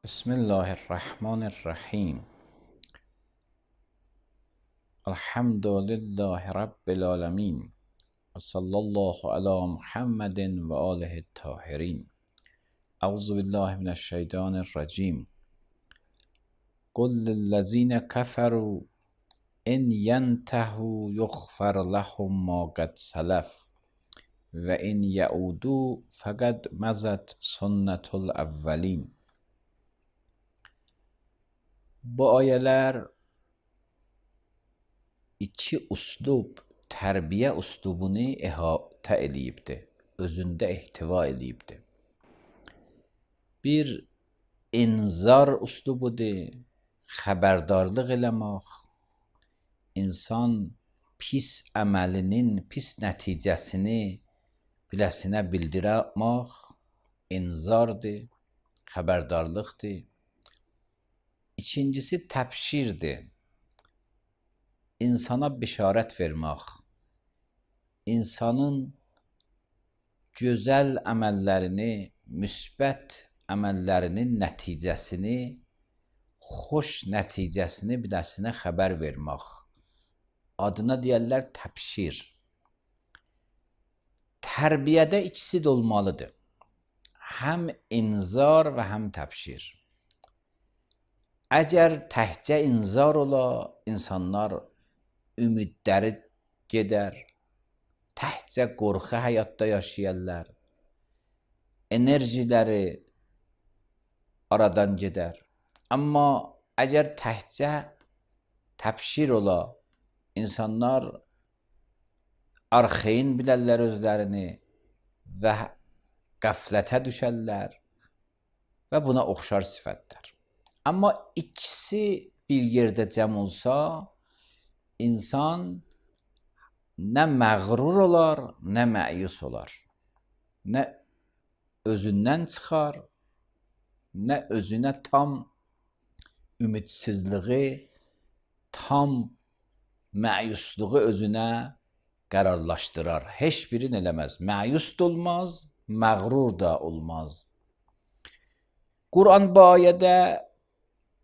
بسم الله الرحمن الرحیم. الحمد لله رب العالمین و صلی الله علی محمد و آله الطاهرین. اعوذ بالله من الشیطان الرجیم. قل للذین کفروا ان ینتهوا یغفر لهم ما قد سلف و ان یعودوا فقد مضت سنت الاولین. Bu ayələr iki üslub, tərbiyə üslubunu əhatə eləyibdir, özündə ehtiva eləyibdir. Bir inzar üslubudur, xəbərdarlıq eləmək, insan pis əməlinin pis nəticəsini biləsinə bildirmək inzardır, xəbərdarlıqdır. İkincisi təbşirdir. İnsana bişarət vermək, insanın gözəl əməllərini, müsbət əməllərinin nəticəsini, xoş nəticəsini biləsinə xəbər vermək. Adına deyərlər təbşir. Tərbiyədə ikisi də olmalıdır. Həm inzar və həm təbşir. Əgər təhcə inzar ola, insanlar ümidləri gedər, təhcə qorxu həyatda yaşayarlar, enerjiləri aradan gedər. Amma əgər təhcə təbşir ola, insanlar arxeyin bilərlər özlərini və qəflətə düşərlər və buna oxşar sifətlər. Amma ikisi bir yerdə cəm olsa, insan nə məğrur olar, nə məyus olar. Nə özündən çıxar, nə özünə tam ümidsizliği, tam məyusluğu özünə qərarlaşdırar. Heç birini eləməz. Məyus da olmaz, məğrur da olmaz. Quran bu ayədə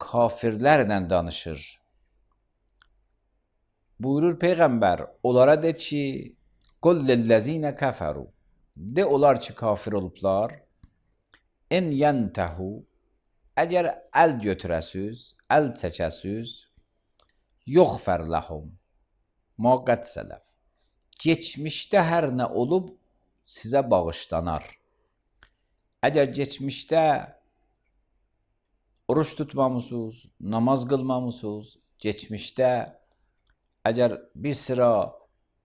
kafirlərlə danışır. Buyurur Peyğəmbər, onlara de ki, qul lillezine kəfəru, de onlar ki kafir olublar, en yentəhu, əgər əl götürəsiz, əl çəkəsiz, yuğfər ləhum, ma qad sələf, geçmişdə hər nə olub sizə bağışlanar. Əgər geçmişdə oruç tutmamısınız, namaz qılmamısınız, geçmişdə əgər bir sıra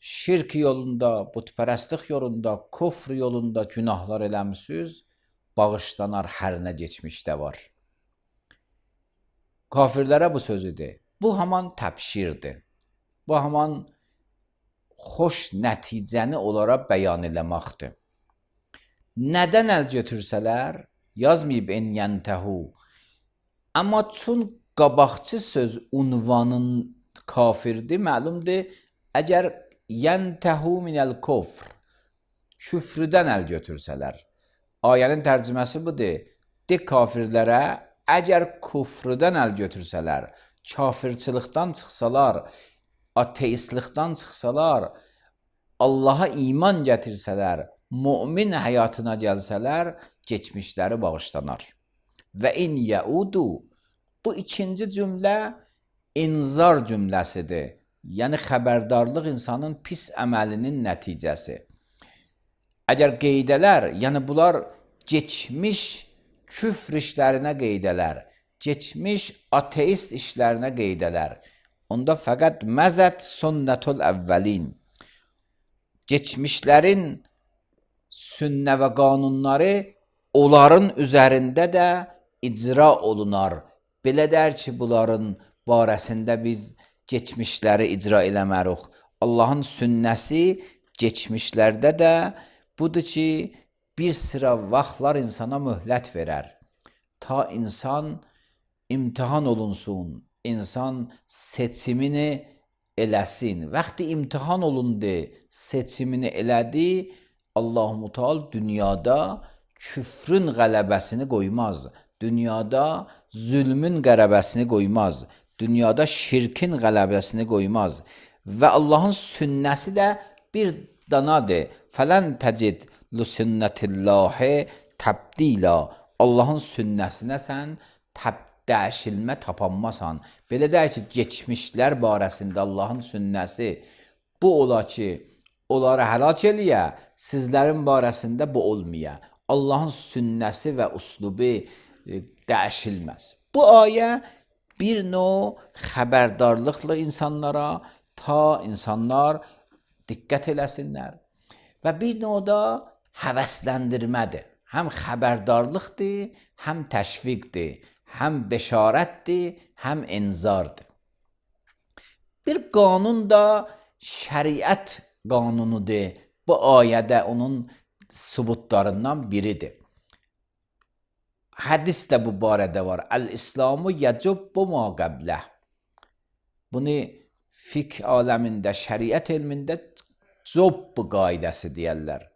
şirk yolunda, putpərəstlik yolunda, kufr yolunda günahlar eləmişsiniz, bağışlanar hər nə geçmişdə var. Kafirlərə bu sözüdür. Bu haman təbşirdir. Bu haman xoş nəticəni onlara bəyan eləməkdir. Nədən əl götürsələr, yazmayıb en yentəhu. Amma çün qabaqçı söz unvanın kafirdir, məlumdur. Əgər yentəhu minəl kufr, küfrüdən əl götürsələr. Ayənin tərcüməsi budur. De kafirlərə, əgər küfrüdən əl götürsələr, kafirçılıqdan çıxsalar, ateistlikdən çıxsalar, Allaha iman gətirsələr, mümin həyatına gəlsələr, geçmişləri bağışlanar. Və in yəudu, bu ikinci cümlə inzar cümləsidir. Yəni xəbərdarlıq insanın pis əməlinin nəticəsi. Əgər qeydələr, yəni bunlar geçmiş küfr işlərinə qeydələr, geçmiş ateist işlərinə qeydələr, onda fəqət məzət sünnətul əvvəlin, geçmişlərin sünnə və qanunları onların üzərində də icra olunar. Belə dər ki, bunların barəsində biz geçmişləri icra eləmərik. Allahın sünnəsi geçmişlərdə də budur ki, bir sıra vaxtlar insana möhlət verər. Ta insan imtihan olunsun, insan seçimini eləsin. Vaxtı imtihan olundu, seçimini elədi, Allah-u Teala dünyada küfrün qələbəsini qoymaz. Dünyada zülmün qələbəsini qoymaz. Dünyada şirkin qələbəsini qoymaz. Və Allahın sünnəsi də bir danadır. Fələn təcid lüsünnətillahi təbdila. Allahın sünnəsinə sən dəyişilmə tapanmasan. Belə deyək ki, geçmişlər barəsində Allahın sünnəsi bu ola ki, onları həlak eləyə, sizlərin barəsində bu olmaya. Allahın sünnəsi və uslubu dəyişilməz. Bu ayə bir növ xəbərdarlıqla insanlara, ta insanlar diqqət eləsinlər. Və bir növ da həvəsləndirmədir. Həm xəbərdarlıqdır, həm təşviqdir, həm beşarətdir, həm inzardır. Bir qanun da şəriət qanunudur. Bu ayədə onun sübutlarından biridir. Hədis də bu barədə var. Əl-İslamu yəcubbu ma qəbləh. Bunu fiqh aləmində, şəriət elmində cubbu qaidəsi deyərlər.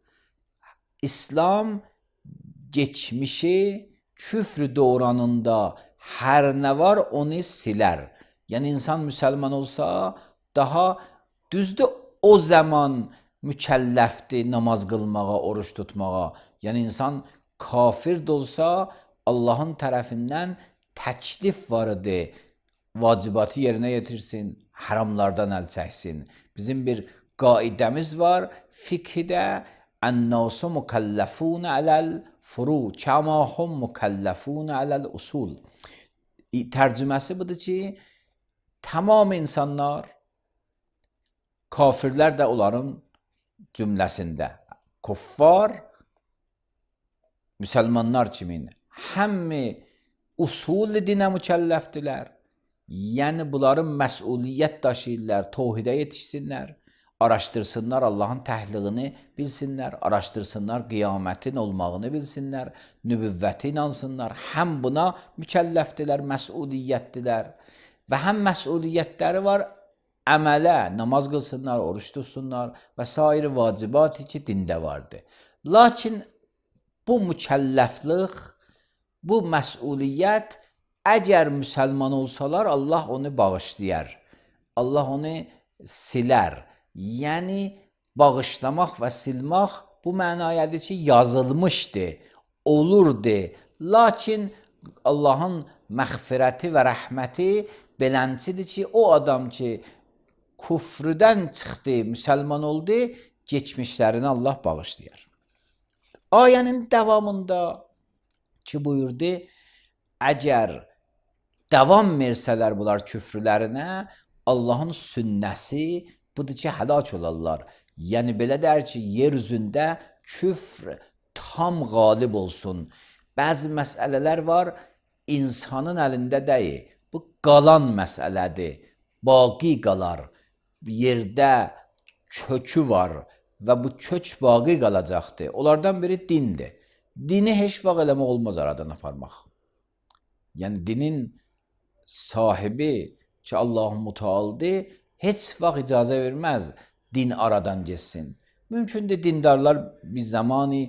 İslam geçmişi küfr dövranında hər nə var onu silər. Yəni insan müsəlman olsa daha düzdür o zaman mükəlləfdir namaz qılmağa, oruç tutmağa. Yəni insan kafir də olsa Allahın tərəfindən təklif var idi. Vacibatı yerinə yetirsin, haramlardan əl çəksin. Bizim bir qaidəmiz var fiqhdə. Ən-nasu mükəlləfun aləl furu, kəma hum mükəlləfun aləl usul. Tərcüməsi budur ki, tamam insanlar, kafirlər də onların cümləsində, kuffar, müsəlmanlar kimin, həmmi usul dinə mükəlləfdirlər. Yəni bunların məsuliyyət daşıyırlar, tohidə yetişsinlər, araşdırsınlar Allahın təhliğini bilsinlər, araşdırsınlar qiyamətin olmağını bilsinlər, nübüvvəti inansınlar. Həm buna mükəlləfdirlər, məsuliyyətdirlər və həm məsuliyyətləri var əmələ, namaz qılsınlar, oruç tutsunlar və sair vacibatı ki, dində vardır. Lakin bu mükəlləflik, bu məsuliyyət əgər müsəlman olsalar, Allah onu bağışlayar, Allah onu silər. Yəni, bağışlamaq və silmək bu mənayədir ki, yazılmışdır, olurdu. Lakin Allahın məğfirəti və rəhməti beləncidir ki, o adam ki, küfrdən çıxdı, müsəlman oldu, geçmişlərini Allah bağışlayar. Ayənin davamında ki, buyurdu, əgər davam versələr bunlar küfrlərinə, Allahın sünnəsi budur ki, həlak olarlar. Yəni, belə deyər ki, yer üzündə küfr tam qalib olsun. Bəzi məsələlər var, insanın əlində deyil. Bu qalan məsələdir, baqi qalar. Yerdə kökü var və bu kök baqi qalacaqdır. Onlardan biri dindir. Dini heç vaxt eləmək olmaz aradan aparmaq. Yəni, dinin sahibi ki, Allah-u Mütealdır, heç vaxt icazə verməz din aradan geçsin. Mümkündür dindarlar bir zamanı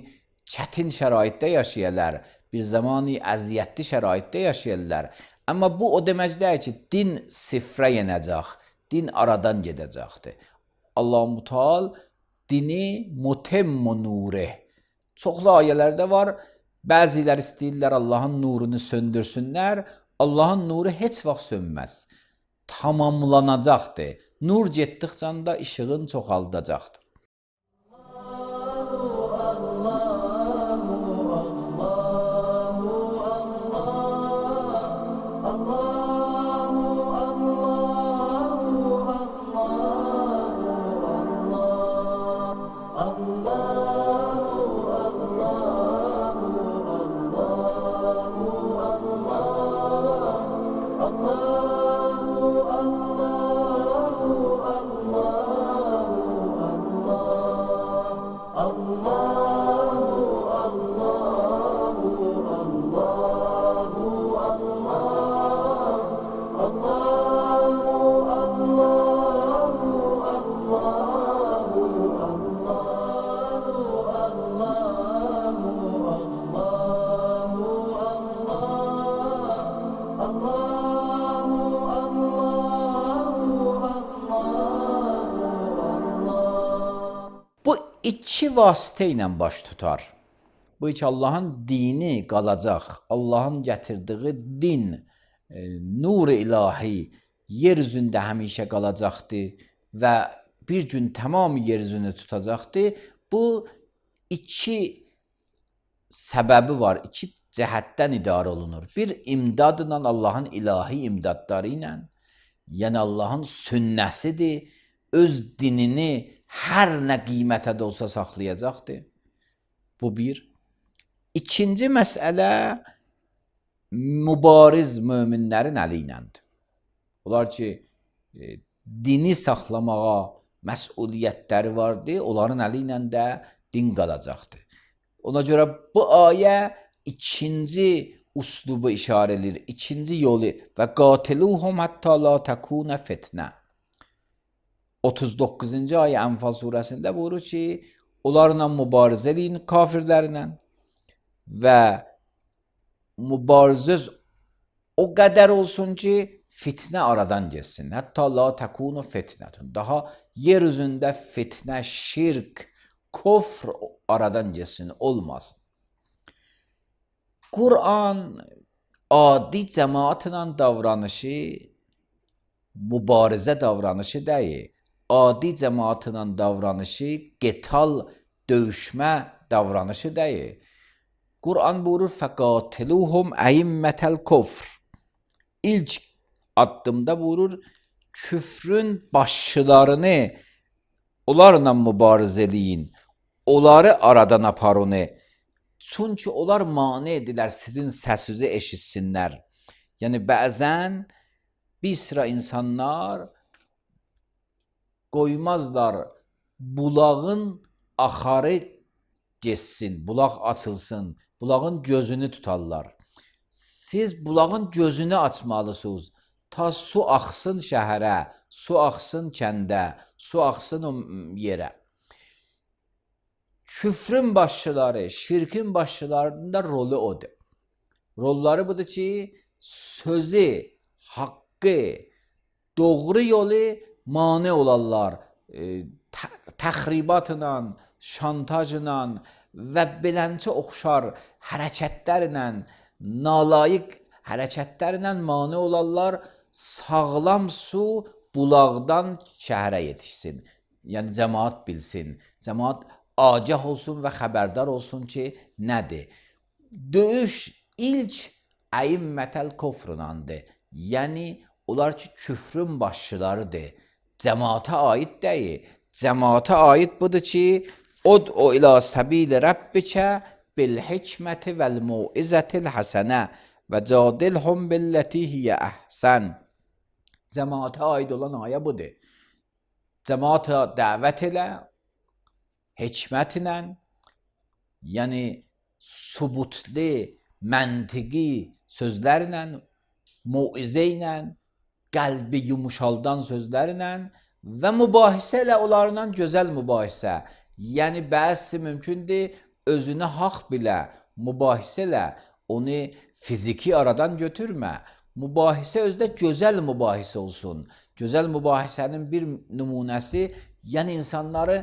çətin şəraitdə yaşayırlar, bir zamanı əziyyətli şəraitdə yaşayırlar. Amma bu o demək deyil ki, din sifrə yenəcək, din aradan gedəcəkdir. Allah-u Müteal dini mutemmu nuri. Çoxlu ayələrdə var, bəzilər istəyirlər Allahın nurunu söndürsünlər, Allahın nuru heç vaxt sönməz. Tamamlanacaqdır. Nur getdikcə də işığın çoxaldacaqdır. iki vasitə ilə baş tutar. Bu iki Allahın dini qalacaq. Allahın gətirdiyi din, nur-i ilahi yer üzündə həmişə qalacaqdır və bir gün tamam yer üzünü tutacaqdır. Bu iki səbəbi var, iki cəhətdən idarə olunur. Bir imdadla, Allahın ilahi imdadları ilə, yəni Allahın sünnəsidir, öz dinini hər nə qiymətə də olsa saxlayacaqdır. Bu bir. İkinci məsələ mübariz möminlərin əli iləndir. Onlar ki, dini saxlamağa məsuliyyətləri vardır, onların əli ilə də din qalacaqdır. Ona görə bu ayə ikinci uslubu işarə edir, ikinci yolu və qatiluhum hatta la takuna fitnə. 39-cu ayə Ənfal surəsində buyurur ki, onlarla mübarizə edin kafirlərlə və mübarizə o qədər olsun ki, fitnə aradan geçsin. Hətta la takunu fitnətun. Daha yer üzündə fitnə, şirk, kufr aradan geçsin, olmasın. Kur'an adi cəmaatla davranışı mübarizə davranışı deyil. Adi cəmaatla davranışı qital, döyüşmə davranışı deyil. Kur'an buyurur fəqatiluhum əimmətəl kufr. İlk addımda buyurur küfrün başçılarını onlarla mübarizə edin. Onları aradan aparın. Çünki onlar mane edilər sizin səsinizi eşitsinlər. Yəni bəzən bir sıra insanlar qoymazlar bulağın axarı geçsin, bulaq açılsın, bulağın gözünü tutarlar. Siz bulağın gözünü açmalısınız. Ta su axsın şəhərə, su axsın kəndə, su axsın o yerə. Küfrün başçıları, şirkin başçılarının da rolü odur. Rolları budur ki, sözü, haqqı, doğru yolu mane olarlar. Təxribatla, şantajla və belənçə oxşar hərəkətlərlə, nalayiq hərəkətlərlə mane olarlar. Sağlam su bulaqdan şəhərə yetişsin. Yəni cəmaat bilsin. Cəmaat agah olsun və xəbərdar olsun ki, nədir? Döyüş ilk əimmətəl kufrunandır. Yəni, onlar ki, küfrün başçılarıdır. Cəmaata aid deyil. Cəmaata aid budur ki, ud'u ilə səbili Rabbikə bil hikməti vəl mu'izzətil həsənə və cadilhum billəti hiyə əhsən. Cəmaata aid olan ayə budur. Cəmaata dəvət elə, hikmətlə, yəni subutlu, məntiqi sözlərlə, muizə ilə, qəlbi yumuşaldan sözlərlə və mübahisə ilə onlarla gözəl mübahisə. Yəni bəzisi mümkündür özünü haqq bilə, mübahisə ilə onu fiziki aradan götürmə. Mübahisə özdə gözəl mübahisə olsun. Gözəl mübahisənin bir nümunəsi, yəni insanları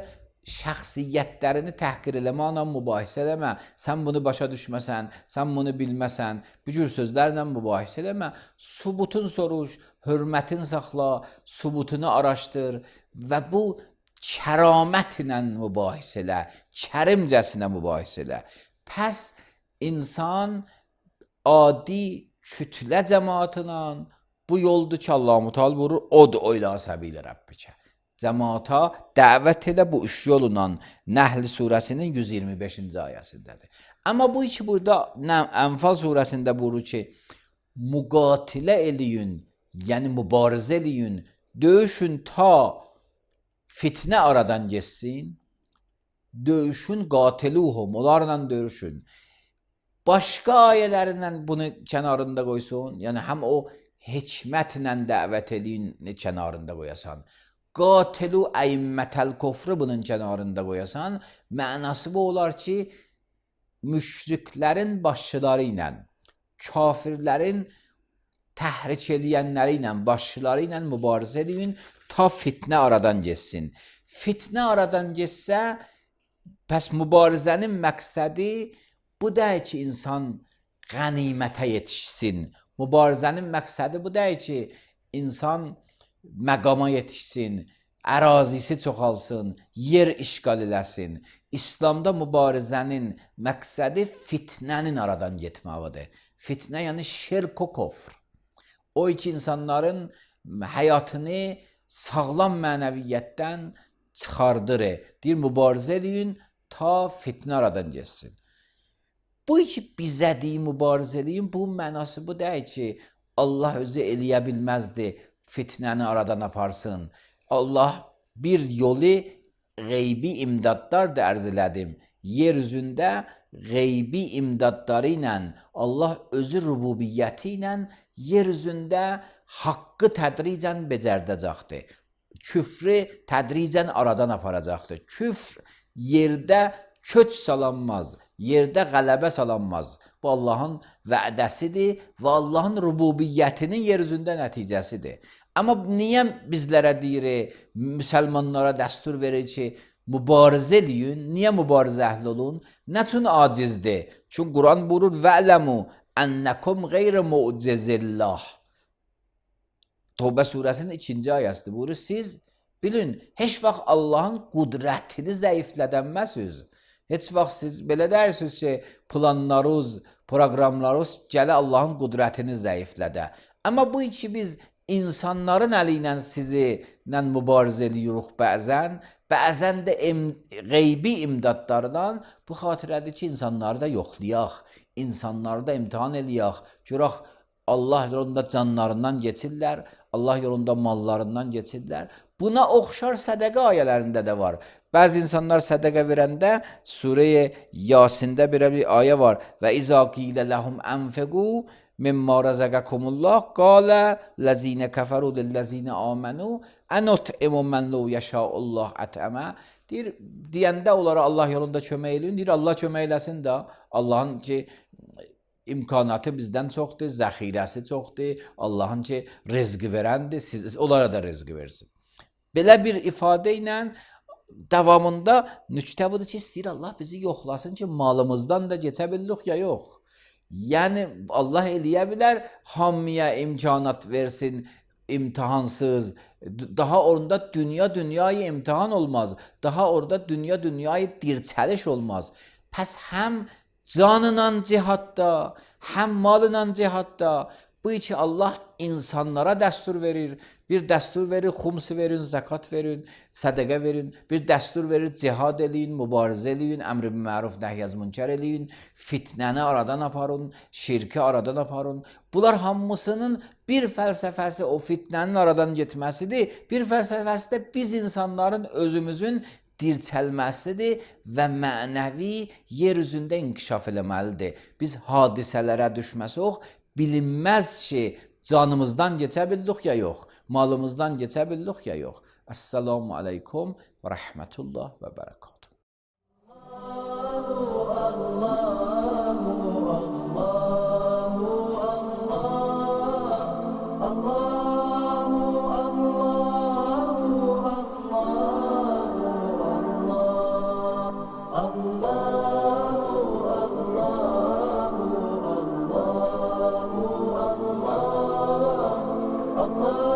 şəxsiyyətlərini təhqir eləməklə mübahisə eləmə. Sən bunu başa düşməsən, sən bunu bilməsən, bu cür sözlərlə mübahisə eləmə. Subutun soruş, hörmətin saxla, subutunu araşdır və bu kəramətlə mübahisə elə, kərimcəsinə mübahisə elə. Pəs insan adi kütlə cəmaatla bu yoldur ki, Allah-u Teala buyurur, ud'u ilə səbili Rabbikə. Cəmaata dəvət elə bu üç yolla Nəhl surəsinin 125-ci ayəsindədir. Amma bu iki burada Ənfal surəsində buyurur ki, müqatilə eləyin, yəni mübarizə eləyin, döyüşün ta fitnə aradan geçsin, döyüşün qatiluhum, onlarla döyüşün. Başqa ayələrindən bunu kənarında qoysun, yəni həm o hikmətlə dəvət eləyin kənarında qoyasan, qatilu əimmətəl kufru bunun kənarında qoyasan, mənası bu olar ki, müşriklərin başçıları ilə, kafirlərin təhrik eləyənləri ilə, başçıları ilə mübarizə edin, ta fitnə aradan geçsin. Fitnə aradan geçsə, Pəs mübarizənin məqsədi bu deyil ki, insan qənimətə yetişsin. Mübarizənin məqsədi bu deyil ki, insan məqama yetişsin, ərazisi çoxalsın, yer işğal eləsin. İslamda mübarizənin məqsədi fitnənin aradan getməyidir. Fitnə yəni şirk və küfr. O iki insanların həyatını sağlam mənəviyyətdən çıxardır. Deyir, mübarizə edin ta fitnə aradan getsin. Bu iki bizə deyin, mübarizə edin, bu mənası bu deyil ki, Allah özü eləyə bilməzdi, fitnəni aradan aparsın. Allah bir yolu qeybi imdadlar da ərz elədim. Yeryüzündə qeybi imdadları ilə Allah özü rububiyyəti ilə yeryüzündə haqqı tədricən becərdəcəkdir. Küfrü tədricən aradan aparacaqdır. Küfr yerdə köç salanmaz, yerdə qələbə salanmaz. Bu Allahın vədəsidir və Allahın rububiyyətinin yeryüzündə nəticəsidir. Amma niyə bizlərə deyir, müsəlmanlara dəstur verir ki, mübarizə edin, niyə mübarizə əhli olun? Nə üçün acizdir? Çünki Quran buyurur, vələmu ənəkum qeyri mu'cizillah. Tövbə surəsinin 2-ci ayəsidir. Buyurur, siz bilin, heç vaxt Allahın qudrətini zəiflədənməsiniz. Heç vaxt siz belə dərsiniz ki, planlarınız, proqramlarınız gələ Allahın qudrətini zəiflədə. Amma bu iki biz insanların əli ilə sizinlə mübarizə edirik bəzən də qeybi imdadlardan bu xatirədir ki, insanları da yoxlayaq, insanları da imtihan eləyək, görək Allah yolunda canlarından geçirlər, Allah yolunda mallarından geçirlər. Buna oxşar sədəqə ayələrində də var. Bəzi insanlar sədəqə verəndə Surə-i Yasində bir ayə var. Və izə qilə ləhum ənfiqu mimma rəzəqəkumullah qalə ləzinə kəfəru lilləzinə amənu ənut'imu mən ləv yəşəullah ətəmə. Deyəndə onlara Allah yolunda kömək eləyin. Deyir, Allah kömək eləsin də. Allahın ki, imkanatı bizdən çoxdur, zəxirəsi çoxdur. Allahın ki, rizqi verəndir, onlara da rizqi versin. Belə bir ifadə ilə davamında nüktə budur ki, istəyir Allah bizi yoxlasın ki, malımızdan da keçə bildik ya yox. Yəni Allah eləyə bilər, hamıya imkanat versin, imtihansız. Daha orada dünyayı imtihan olmaz. Daha orada dünyayı dirçəliş olmaz. Pəs həm canla cihadda, həm malla cihadda bu iki Allah insanlara dəstur verir. Bir dəstur verir, xums verin, zəkat verin, sədəqə verin. Bir dəstur verir, cihad eləyin, mübarizə eləyin, əmr bil məruf, nəhy münkər eləyin, fitnəni aradan aparın, şirki aradan aparın. Bunlar hamısının bir fəlsəfəsi o fitnənin aradan getməsidir. Bir fəlsəfəsi də biz insanların özümüzün dirçəlməsidir və mənəvi yer üzündə inkişaf eləməlidir. Biz hadisələrə düşməsək, bilinməz ki, canımızdan keçə bildik ya yox, malımızdan keçə bildik ya yox. Əssalamu aleykum və rəhmətullah və bərəkatuhu. Allah